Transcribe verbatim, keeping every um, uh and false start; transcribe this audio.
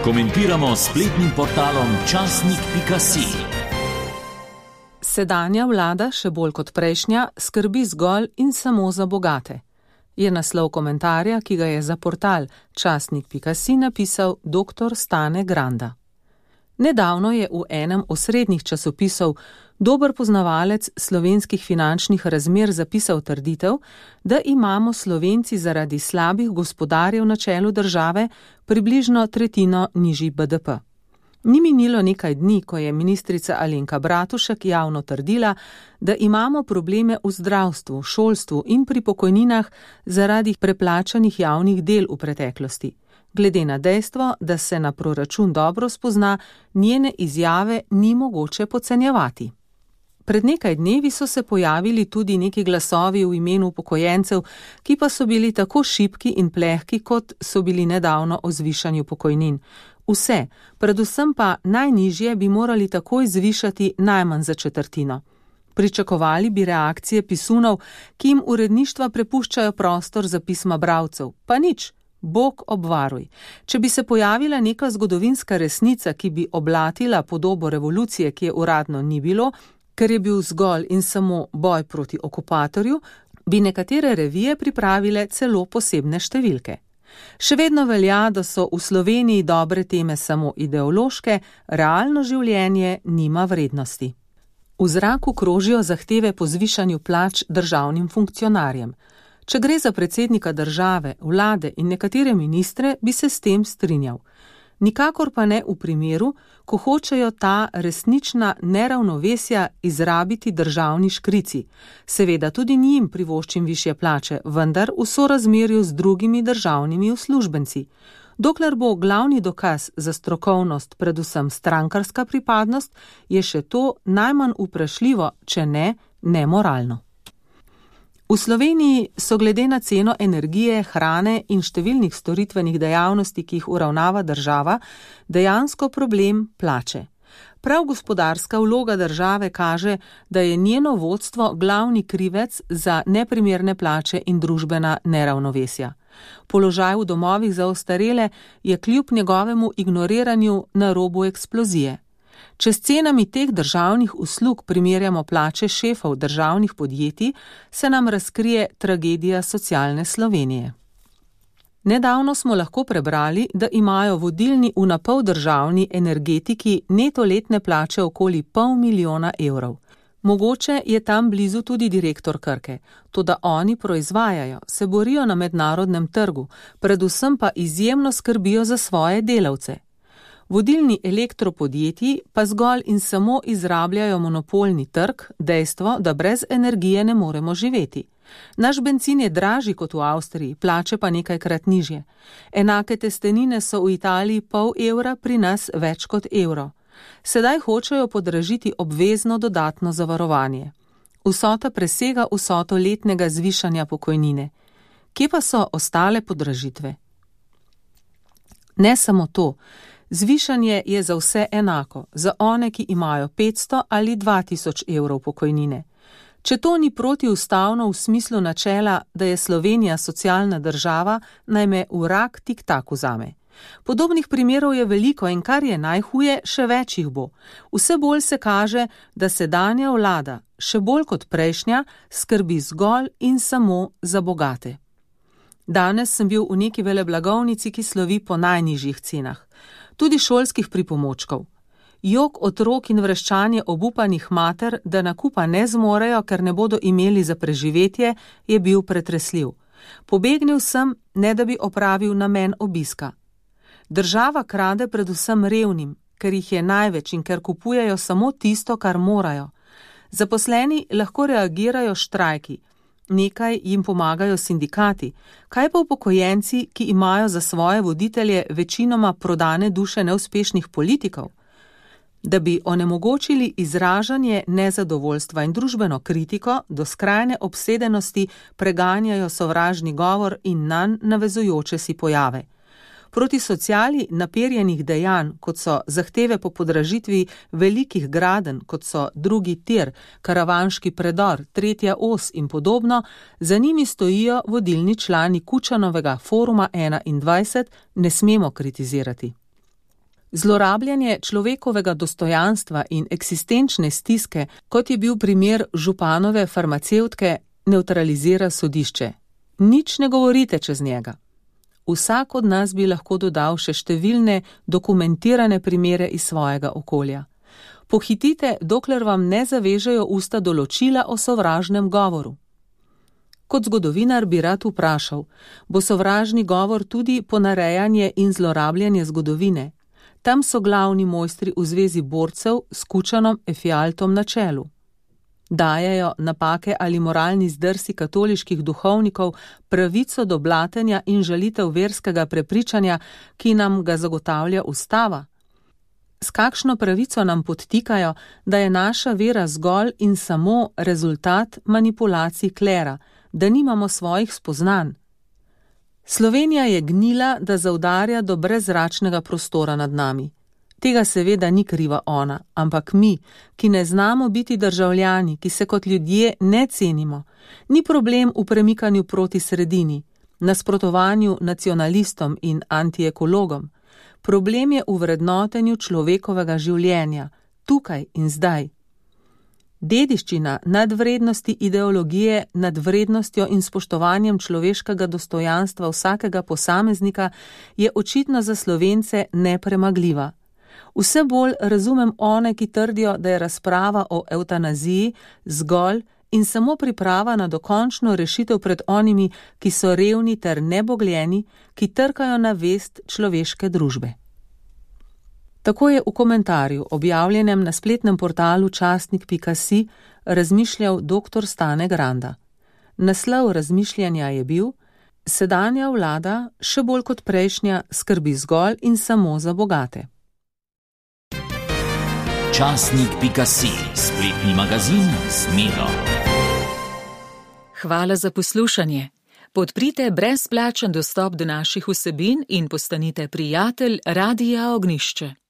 Komentiramo s spletnim portalom časnik pika si. Sedanja vlada, še bolj kot prejšnja, skrbi zgolj in samo za bogate. Je naslov komentarja, ki ga je za portal časnik pika si napisal doktor Stane Granda. Nedavno je v enem osrednjih časopisov dober poznavalec slovenskih finančnih razmer zapisal trditev, da imamo Slovenci zaradi slabih gospodarjev na čelu države približno tretjino nižji be de pe. Ni minilo nekaj dni, ko je ministrica Alenka Bratušek javno trdila, da imamo probleme v zdravstvu, šolstvu in pri pokojninah zaradi preplačanih javnih del v preteklosti. Glede na dejstvo, da se na proračun dobro spozna, njene izjave ni mogoče podcenjevati. Pred nekaj dnevi so se pojavili tudi neki glasovi v imenu upokojencev, ki pa so bili tako šibki in plehki, kot so bili nedavno o zvišanju pokojnin. Vse, predvsem pa najnižje bi morali takoj zvišati najmanj za četrtino. Pričakovali bi reakcije pisunov, ki jim uredništva prepuščajo prostor za pisma bralcev, pa nič. Bog obvaruj. Če bi se pojavila neka zgodovinska resnica, ki bi oblatila podobo revolucije, ki je uradno ni bilo, ker je bil zgolj in samo boj proti okupatorju, bi nekatere revije pripravile celo posebne številke. Še vedno velja, da so v Sloveniji dobre teme samo ideološke, realno življenje nima vrednosti. V zraku krožijo zahteve po zvišanju plač državnim funkcionarjem. Če gre za predsednika države, vlade in nekatere ministre, bi se s tem strinjal. Nikakor pa ne v primeru, ko hočejo ta resnična neravnovesja izrabiti državni škrici. Seveda tudi njim privoščim višje plače, vendar v sorazmerju z drugimi državnimi uslužbenci. Dokler bo glavni dokaz za strokovnost predvsem strankarska pripadnost, je še to najmanj vprašljivo, če ne nemoralno. V Sloveniji so glede na ceno energije, hrane in številnih storitvenih dejavnosti, ki jih uravnava država, dejansko problem plače. Prav gospodarska vloga države kaže, da je njeno vodstvo glavni krivec za neprimerne plače in družbena neravnovesja. Položaj v domovih za ostarele je kljub njegovemu ignoriranju na robu eksplozije. Če s cenami teh državnih uslug primerjamo plače šefov državnih podjetij, se nam razkrije tragedija socialne Slovenije. Nedavno smo lahko prebrali, da imajo vodilni v napol državni energetiki neto letne plače okoli pol milijona evrov. Mogoče je tam blizu tudi direktor Krke, toda oni proizvajajo, se borijo na mednarodnem trgu, predvsem pa izjemno skrbijo za svoje delavce. Vodilni elektropodjetji pa zgolj in samo izrabljajo monopolni trg, dejstvo, da brez energije ne moremo živeti. Naš bencin je dražji kot v Avstriji, plače pa nekajkrat nižje. Enake testenine so v Italiji pol evra, pri nas več kot evro. Sedaj hočejo podražiti obvezno dodatno zavarovanje. Vsota presega vsoto letnega zvišanja pokojnine. Kje pa so ostale podražitve? Ne samo to. Zvišanje je za vse enako, za one, ki imajo petsto ali dva tisoč evrov pokojnine. Če to ni protiustavno v smislu načela, da je Slovenija socialna država, naj me vrag tik-tak vzame. Podobnih primerov je veliko in kar je najhuje, še več jih bo. Vse bolj se kaže, da sedanja vlada, še bolj kot prejšnja, skrbi zgolj in samo za bogate. Danes sem bil v neki veleblagovnici, ki slovi po najnižjih cenah. Tudi šolskih pripomočkov. Jok otrok in vreščanje obupanih mater, da nakupa ne zmorejo, ker ne bodo imeli za preživetje, je bil pretresljiv. Pobegnil sem, ne da bi opravil namen obiska. Država krade predvsem revnim, ker jih je največ in ker kupujejo samo tisto, kar morajo. Zaposleni lahko reagirajo štrajki. Nekaj jim pomagajo sindikati. Kaj pa upokojenci, ki imajo za svoje voditelje večinoma prodane duše neuspešnih politikov? Da bi onemogočili izražanje nezadovoljstva in družbeno kritiko, do skrajne obsedenosti preganjajo sovražni govor in nanj navezujoče si pojave. Proti sociali naperjenih dejanj, kot so zahteve po podražitvi velikih gradenj, kot so drugi tir, karavanški predor, tretja os in podobno, za njimi stojijo vodilni člani Kučanovega foruma enaindvajset, ne smemo kritizirati. Zlorabljanje človekovega dostojanstva in eksistenčne stiske, kot je bil primer županove farmacevtke, nevtralizira sodišče. Nič ne govorite čez njega. Vsak od nas bi lahko dodal še številne dokumentirane primere iz svojega okolja. Pohitite, dokler vam ne zavežejo usta določila o sovražnem govoru. Kot zgodovinar bi rad vprašal, bo sovražni govor tudi ponarejanje in zlorabljanje zgodovine? Tam so glavni mojstri v zvezi borcev s Kučanom Efialtom na čelu. Dajejo napake ali moralni zdrsi katoliških duhovnikov pravico do blatenja in žalitev verskega prepričanja, ki nam ga zagotavlja ustava? S kakšno pravico nam podtikajo, da je naša vera zgolj in samo rezultat manipulacij klera, da nimamo svojih spoznanj? Slovenija je gnila, da zaudarja do brezračnega prostora nad nami. Tega seveda ni kriva ona, ampak mi, ki ne znamo biti državljani, ki se kot ljudje ne cenimo. Ni problem v premikanju proti sredini, nasprotovanju nacionalistom in antiekologom. Problem je v vrednotenju človekovega življenja, tukaj in zdaj. Dediščina nadvrednosti ideologije nad vrednostjo in spoštovanjem človeškega dostojanstva vsakega posameznika je očitno za Slovence nepremagljiva. Vse bolj razumem one, ki trdijo, da je razprava o evtanaziji zgolj in samo priprava na dokončno rešitev pred onimi, ki so revni ter nebogljeni, ki trkajo na vest človeške družbe. Tako je v komentarju, objavljenem na spletnem portalu časnik pika si, razmišljal doktor Stane Granda. Naslov razmišljanja je bil: Sedanja vlada, še bolj kot prejšnja, skrbi zgolj in samo za bogate. časnik pika si, spletni magazin z Miro. Hvala za poslušanje. Podprite brezplačen dostop do naših vsebin in postanite prijatelj Radia Ognjišče.